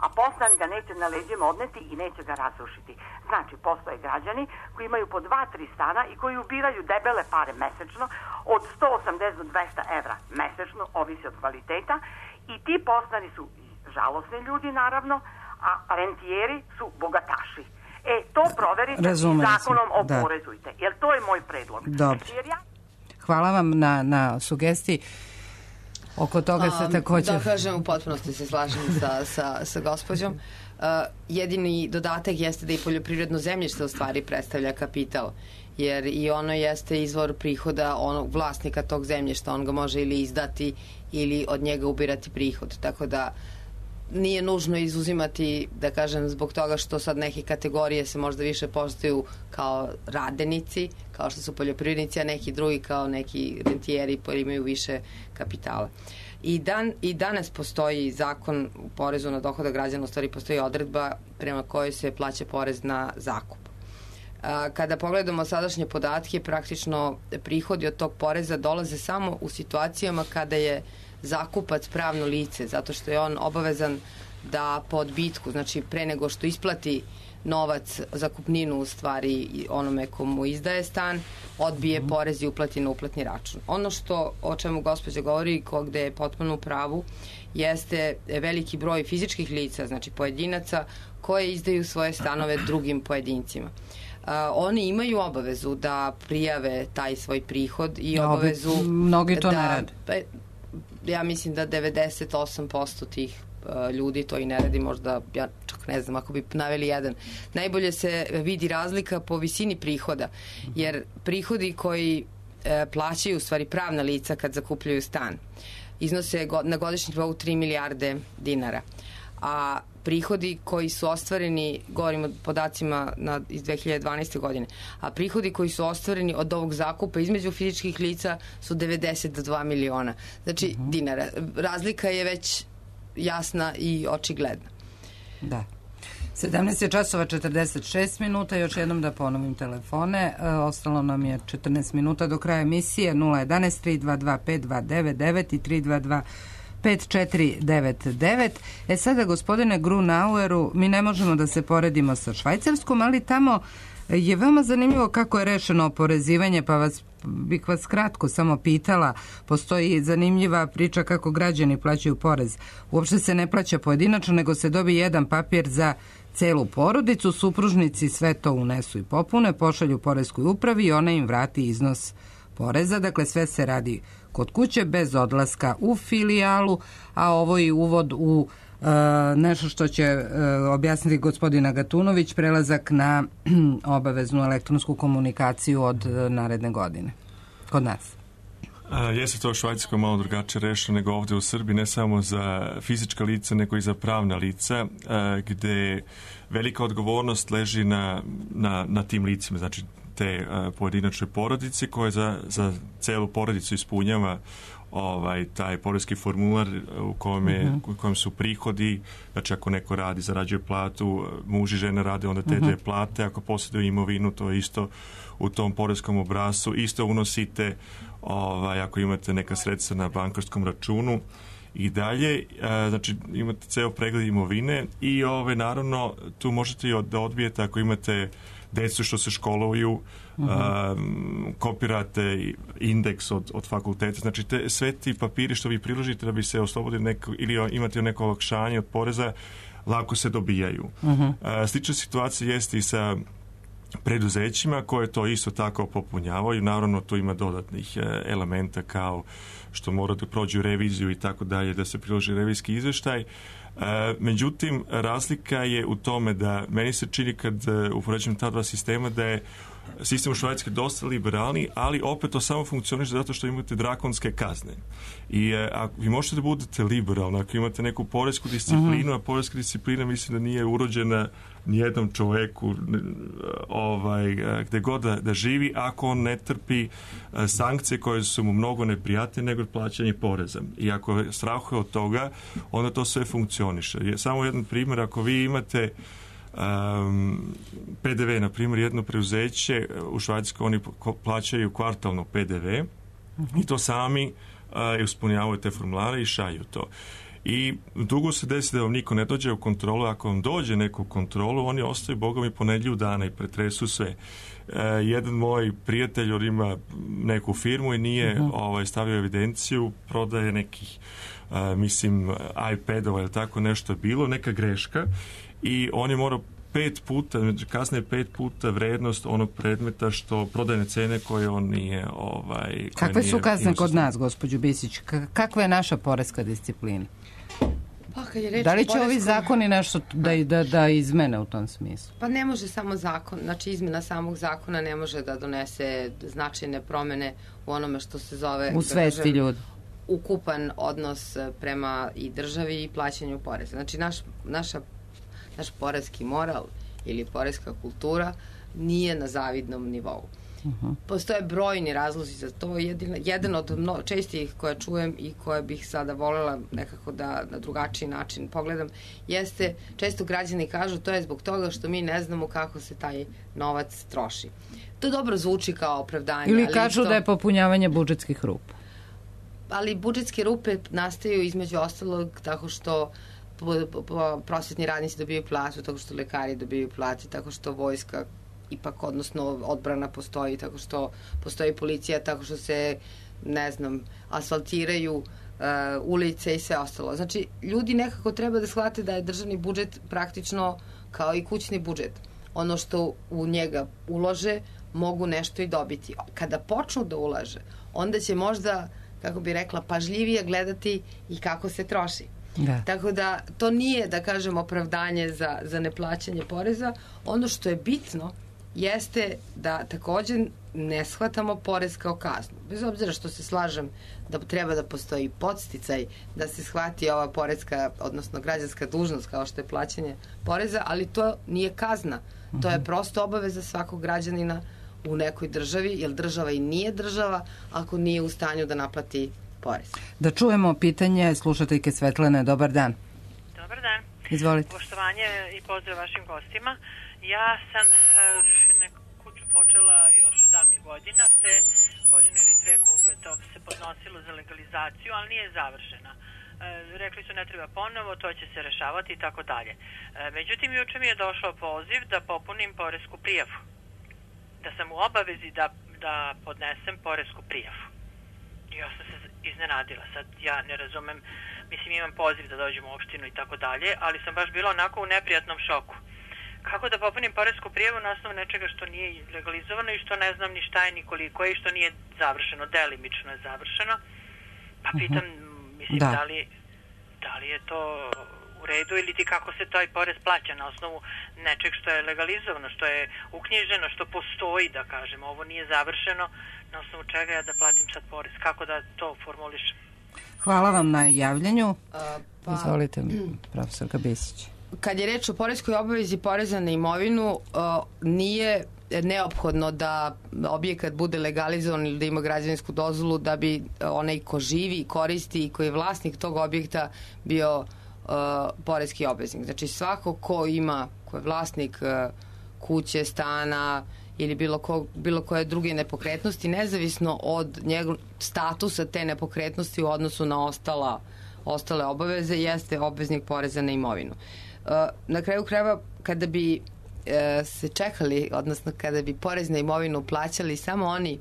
a poslanik ga neće na leđima odneti i neće ga razrušiti. Znači, postoje građani koji imaju po 2-3 stana i koji ubiraju debele pare mesečno, od 180 do 200 evra mesečno, ovisi od kvaliteta, i ti poslani su žalosni ljudi, naravno, a rentijeri su bogataši. To proverite i zakonom oporezujte, jer to je moj predlog. Dobro. Hvala vam na sugestiji. Oko toga se također... Da kažem, u potpunosti se slažem sa gospođom. Jedini dodatak jeste da i poljoprivredno zemljište u stvari predstavlja kapital, jer i ono jeste izvor prihoda onog vlasnika tog zemljišta. On ga može ili izdati ili od njega ubirati prihod. Tako da nije nužno izuzimati, da kažem, zbog toga što sad neke kategorije se možda više postoju kao radenici, kao što su poljoprivrednici, a neki drugi kao neki rentijeri koji imaju više kapitala. I danas postoji zakon u porezu na dohodak građana, u stvari postoji odredba prema kojoj se plaća porez na zakup. Kada pogledamo sadašnje podatke, praktično prihodi od tog poreza dolaze samo u situacijama kada je zakupac pravno lice, zato što je on obavezan da po odbitku, znači pre nego što isplati novac, zakupninu u stvari onome komu izdaje stan, odbije porez i uplati na uplatni račun. Ono o čemu gospođa govori, gde je potpuno u pravu, jeste veliki broj fizičkih lica, znači pojedinaca, koje izdaju svoje stanove drugim pojedincima. Oni imaju obavezu da prijave taj svoj prihod i obavezu... Mnogi to ne rade. Ja mislim da 98% tih ljudi to i ne radi, možda, ja čak ne znam, ako bi naveli jedan. Najbolje se vidi razlika po visini prihoda, jer prihodi koji plaćaju u stvari pravna lica kad zakupljaju stan iznose na godišnjem nivou 3 milijarde dinara. A prihodi koji su ostvareni, govorim o podacima iz 2012. godine, a prihodi koji su ostvareni od ovog zakupa između fizičkih lica su 92 miliona. Znači, dinara. Razlika je već jasna i očigledna. Da. 17 je časova 46 minuta, još jednom da ponovim telefone. Ostalo nam je 14 minuta do kraja emisije. 011 322 5299 i 322 5499. Sada, gospodine Grunaueru, mi ne možemo da se poredimo sa Švajcarskom, ali tamo je veoma zanimljivo kako je rešeno oporezivanje, pa bih vas kratko samo pitala. Postoji zanimljiva priča kako građani plaćaju porez. Uopšte se ne plaća pojedinačno, nego se dobije jedan papir za celu porodicu, supružnici sve to unesu i popune, pošalju poreskoj upravi i ona im vrati iznos poreza. Dakle, sve se radi kod kuće, bez odlaska u filijalu, a ovo je uvod u nešto što će objasniti gospodina Gatunović, prelazak na obaveznu elektronsku komunikaciju od naredne godine. Kod nas. Jeste to u Švajcarskoj malo drugačije rešeno nego ovde u Srbiji, ne samo za fizička lica, nego i za pravna lica, gde velika odgovornost leži na tim licima, znači te pojedinačne porodice koje za celu porodicu ispunjava taj poreski formular u kojem su prihodi, znači ako neko radi, zarađuje platu, muž i žena rade, onda te dve plate, ako posjeduju imovinu, to je isto u tom poreskom obrascu, isto unosite ako imate neka sredstva na bankarskom računu i dalje, znači imate ceo pregled imovine i naravno tu možete i da odbijete ako imate decu što se školuju, kopirate indeks od fakulteta, znači sve ti papiri što vi priložite da bi se oslobodili ili imate neko olakšanje od poreza, lako se dobijaju. Slična situacija jeste i sa preduzećima koje to isto tako popunjavaju. Naravno, tu ima dodatnih elementa kao što mora da prođu reviziju i tako dalje, da se priloži revizijski izveštaj. Međutim, razlika je u tome da meni se čini kad upoređujem ta dva sistema da je sistem u Švajcarskoj dosta liberalni, ali opet to samo funkcioniše zato što imate drakonske kazne. I vi možete da budete liberalni ako imate neku poresku disciplinu, a poreska disciplina mislim da nije urođena nijednom čoveku gde god da živi ako on ne trpi sankcije koje su mu mnogo neprijatne nego plaćanje poreza. I ako strahuje od toga, onda to sve funkcioniše. Samo jedan primjer, ako vi imate PDV, na primjer, jedno preuzeće u Švajcarskoj, oni plaćaju kvartalno PDV i to sami ispunjavaju te formulare i šalju to. I dugo se desi da vam niko ne dođe u kontrolu, ako vam dođe neku kontrolu, oni ostaju bogom i po nedelju dana i pretresu sve. Jedan moj prijatelj ima neku firmu i nije stavio evidenciju, prodaje nekih iPadova ili tako nešto je bilo, neka greška i on je morao 5 puta, kasnije 5 puta vrednost onog predmeta što prodajne cene koje on nije... Kakve su kazne kod nas, gospođo Bisić? Kakva je naša poreska disciplina? Da li će ovi zakoni nešto da izmene u tom smislu? Pa ne može samo zakon, znači izmena samog zakona ne može da donese značajne promene u onome što se zove... U svesti ljudi. Ukupan odnos prema i državi i plaćanju poreza. Znači naš poreski moral ili poreska kultura nije na zavidnom nivou. Postoje brojni razlozi za to. Jedan od čestih koje čujem i koje bih sada voljela nekako da na drugačiji način pogledam jeste, često građani kažu to je zbog toga što mi ne znamo kako se taj novac troši. To dobro zvuči kao opravdanje. Ili kažu da je popunjavanje budžetskih rupa. Ali budžetske rupe nastaju između ostalog tako što prosvetni radnici dobiju platu, tako što lekari dobiju plati, tako što vojska ipak, odnosno odbrana postoji, tako što postoji policija, tako što se, ne znam, asfaltiraju ulice i sve ostalo. Znači, ljudi nekako treba da shvate da je državni budžet praktično kao i kućni budžet. Ono što u njega ulože, mogu nešto i dobiti. Kada počnu da ulaže, onda će možda, kako bi rekla, pažljivije gledati i kako se troši. Da. Tako da to nije, da kažem, opravdanje za neplaćanje poreza. Ono što je bitno jeste da takođe ne shvatamo porez kao kaznu. Bez obzira što se slažem da treba da postoji podsticaj da se shvati ova porezka, odnosno građanska dužnost kao što je plaćanje poreza, ali to nije kazna. To je prosto obaveza svakog građanina u nekoj državi, jer država i nije država ako nije u stanju da naplati porez. Da čujemo pitanje slušateljke Svetlane. Dobar dan. Dobar dan. Izvolite. Poštovanje i pozdrav vašim gostima. Ja sam neku kuću počela još od davnih godina, te godinu ili dve koliko je to se podnosilo za legalizaciju, ali nije završena. Rekli su ne treba ponovo, to će se rešavati i tako dalje. Međutim, juče mi je došao poziv da popunim poresku prijavu. Da sam u obavezi da podnesem poresku prijavu. I ja sam se iznenadila. Sad ja ne razumem, mislim imam poziv da dođem u opštinu i tako dalje, ali sam baš bila onako u neprijatnom šoku. Kako da popunim poresku prijavu na osnovu nečega što nije legalizovano i što ne znam ni šta je, ni koliko je i što nije završeno, delimično je završeno. Pa pitam, mislim, da li je to u redu ili ti kako se taj porez plaća na osnovu nečeg što je legalizovano, što je uknjiženo, što postoji, da kažem, ovo nije završeno, na osnovu čega ja da platim sad porez, kako da to formulišem. Hvala vam na javljanju. Izvolite, profesorka Besić. Kad je reč o poreskoj obavezi poreza na imovinu, nije neophodno da objekat bude legalizovan ili da ima građevinsku dozvolu da bi onaj ko živi, koristi i koji je vlasnik tog objekta bio poreski obveznik. Znači svako ko je vlasnik kuće, stana ili bilo koje druge nepokretnosti, nezavisno od njegov statusa te nepokretnosti u odnosu na ostale obaveze, jeste obveznik poreza na imovinu. Na kraju krajeva, kada bi se čekali, odnosno kada bi porez na imovinu plaćali samo oni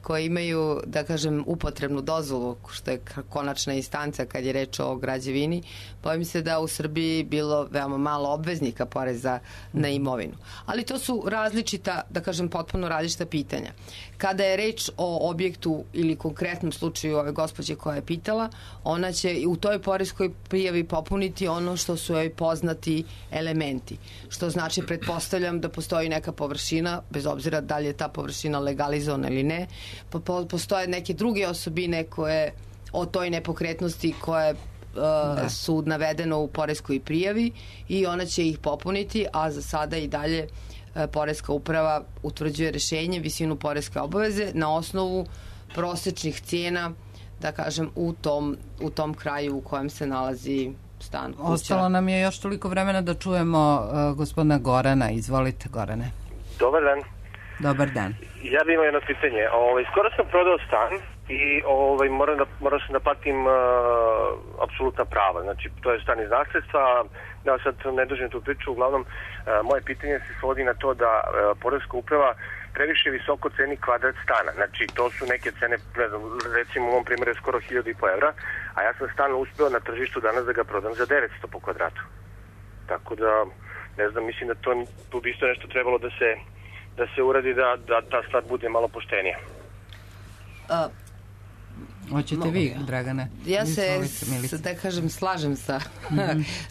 koji imaju, da kažem, upotrebnu dozvolu, što je konačna instanca kad je reč o građevini, bojim se da u Srbiji bilo veoma malo obveznika poreza na imovinu. Ali to su različita, da kažem, potpuno različita pitanja. Kada je reč o objektu ili konkretnom slučaju ove gospođe koja je pitala, ona će u toj poreskoj prijavi popuniti ono što su joj poznati elementi. Što znači, pretpostavljam da postoji neka površina, bez obzira da li je ta površina legalizovana ili ne, postoje neke druge osobine koje o toj nepokretnosti koje su navedeno u poreskoj prijavi i ona će ih popuniti, a za sada i dalje poreska uprava utvrđuje rešenje, visinu poreske obaveze na osnovu prosečnih cijena, da kažem, u tom kraju u kojem se nalazi stan. Ostalo nam je još toliko vremena da čujemo gospodina Gorana. Izvolite, Gorane. Dobar dan. Dobar dan. Ja bih imao jedno pitanje. Skoro sam prodao stan i morao sam da platim apsolutna prava. Znači, to je stan iz nasledstva. Ja sad ne dužim tu priču. Uglavnom, moje pitanje se svodi na to da poreska uprava previše visoko ceni kvadrat stana. Znači, to su neke cene, ne znam, recimo u ovom primjeru je skoro 1.500 evra, a ja sam stan uspeo na tržištu danas da ga prodam za 900 po kvadratu. Tako da, ne znam, mislim da tu bi isto nešto trebalo da se uradi da ta stvar bude malo poštenija. Hoćete vi, Dragane? Ja se, da kažem, slažem sa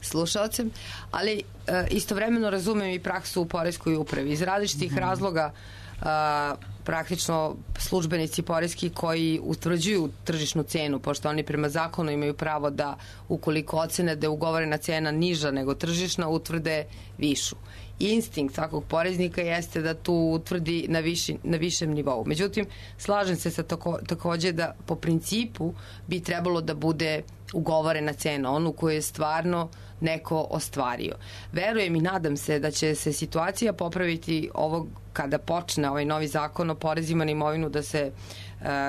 slušalcem, ali istovremeno razumem i praksu u poreskoj upravi. Iz različitih razloga praktično službenici poreski koji utvrđuju tržišnu cenu, pošto oni prema zakonu imaju pravo da ukoliko ocene da je ugovorena cena niža nego tržišna, utvrde višu. Instinkt svakog poreznika jeste da tu utvrdi na višem nivou. Međutim, slažem se sa takođe da po principu bi trebalo da bude ugovorena cena, onu koju je stvarno neko ostvario. Verujem i nadam se da će se situacija popraviti kada počne ovaj novi zakon o porezima na imovinu da se,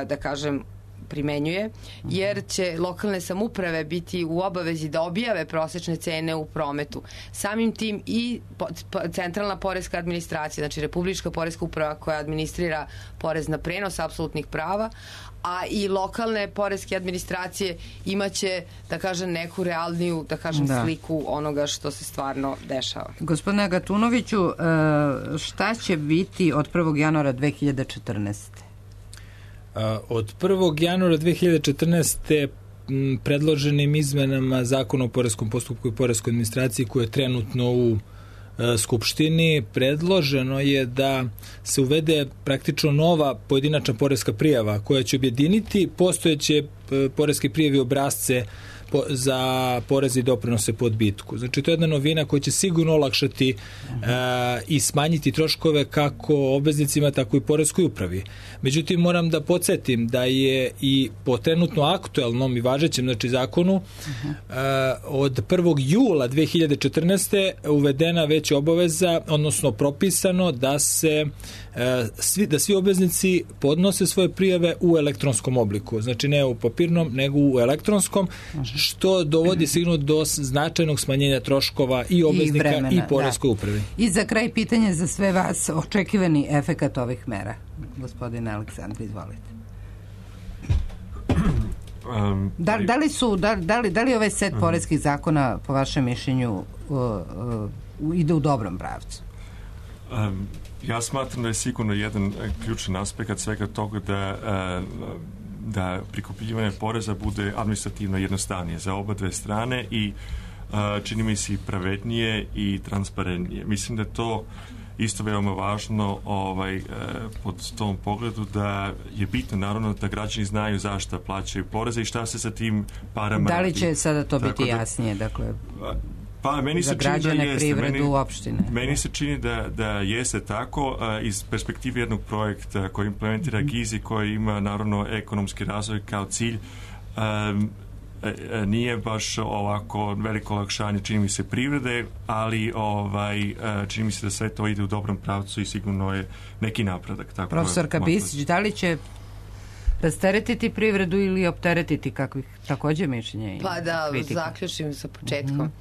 da kažem, primenjuje, jer će lokalne samouprave biti u obavezi da objave prosečne cene u prometu. Samim tim i centralna poreska administracija, znači Republička poreska uprava koja administrira porez na prenos apsolutnih prava, a i lokalne poreske administracije imaće, da kažem, neku realniju, da kažem, sliku onoga što se stvarno dešava. Gospodine Gatunoviću, šta će biti od 1. januara 2014. Od 1. januara 2014. predloženim izmenama Zakona o poreskom postupku i poreskoj administraciji koja je trenutno u Skupštini predloženo je da se uvede praktično nova pojedinačna poreska prijava koja će objediniti postojeće poreske prijave obrasce za poreze i doprinose po odbitku. Znači, to je jedna novina koja će sigurno olakšati i smanjiti troškove kako obveznicima, tako i poreskoj upravi. Međutim, moram da podsjetim da je i po trenutno aktuelnom i važećem zakonu od 1. jula 2014. uvedena već obaveza, odnosno propisano da svi obveznici podnose svoje prijave u elektronskom obliku. Znači, ne u papirnom, nego u elektronskom, što dovodi sigurno do značajnog smanjenja troškova i obveznika i poreskoj upravi. I za kraj pitanje za sve vas, očekivani efekat ovih mera. Gospodine Aleksandar, izvolite. Da li ovaj set poreskih zakona po vašem mišljenju ide u dobrom pravcu? Ja smatram da je sigurno jedan ključan aspekt svega toga da prikupljivanje poreza bude administrativno jednostavnije za oba dve strane i čini mi se i pravednije i transparentnije. Mislim da je to isto veoma važno pod tom pogledu da je bitno naravno da građani znaju zašto plaćaju poreze i šta se sa tim parama radi. Da li će sada to biti jasnije? Dakle, meni za građane, privredu, opštine. Meni se čini da jeste tako iz perspektive jednog projekta koji implementira GIZ-i, koji ima naravno ekonomski razvoj kao cilj. Nije baš ovako veliko olakšanje, čini mi se, privrede, ali čini mi se da sve to ide u dobrom pravcu i sigurno je neki napredak. Profesorka Bisić, da li će rasteretiti privredu ili opteretiti, kakvih također mišljenja i Pa da kritika? Zaključim sa početkom.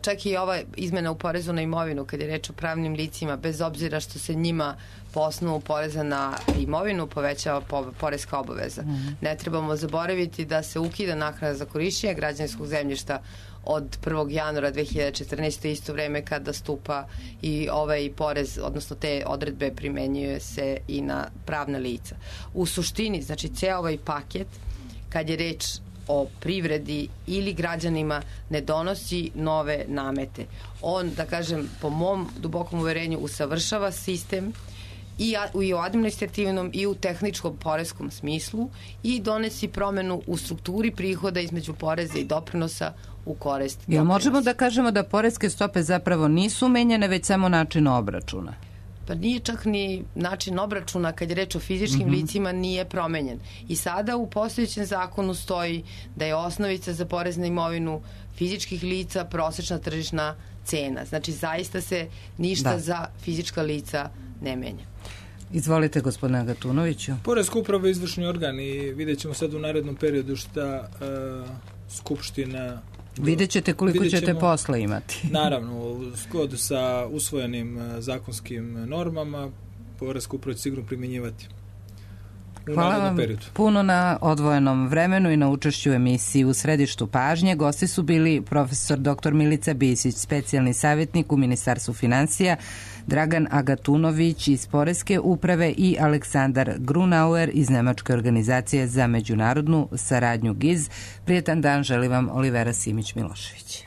Čak i ova izmena u porezu na imovinu, kad je reč o pravnim licima, bez obzira što se njima po osnovu poreza na imovinu povećava poreska obaveza. Ne trebamo zaboraviti da se ukida naknada za korišćenje građevinskog zemljišta od 1. januara 2014. isto vreme kada stupa i ovaj porez, odnosno te odredbe primenjuje se i na pravna lica. U suštini, znači, ceo ovaj paket, kad je reč o privredi ili građanima, ne donosi nove namete. On, da kažem, po mom dubokom uverenju, usavršava sistem i u administrativnom i u tehničkom poreskom smislu i donesi promenu u strukturi prihoda između poreza i doprinosa u korist doprinosa. Jel možemo da kažemo da poreske stope zapravo nisu menjene, već samo način obračuna? Pa nije čak ni način obračuna, kad je reč o fizičkim licima, nije promenjen. I sada u postojećem zakonu stoji da je osnovica za porez na imovinu fizičkih lica prosečna tržišna cena. Znači, zaista se ništa za fizička lica ne menja. Izvolite, gospodine Agatunoviću. Poreska uprava je izvršni organ i vidjet ćemo sad u narednom periodu šta Skupština... Vidjet ćete koliko ćete posla imati. Naravno, u skladu sa usvojenim zakonskim normama, poreska uprava će sigurno primjenjivati. Hvala vam puno na odvojenom vremenu i na učešću u emisiji U središtu pažnje. Gosti su bili profesor dr. Milica Bisić, specijalni savjetnik u Ministarstvu finansija, Dragan Agatunović iz Poreske uprave i Aleksandar Grunauer iz Nemačke organizacije za međunarodnu saradnju GIZ. Prijetan dan želi vam Olivera Simić-Milošević.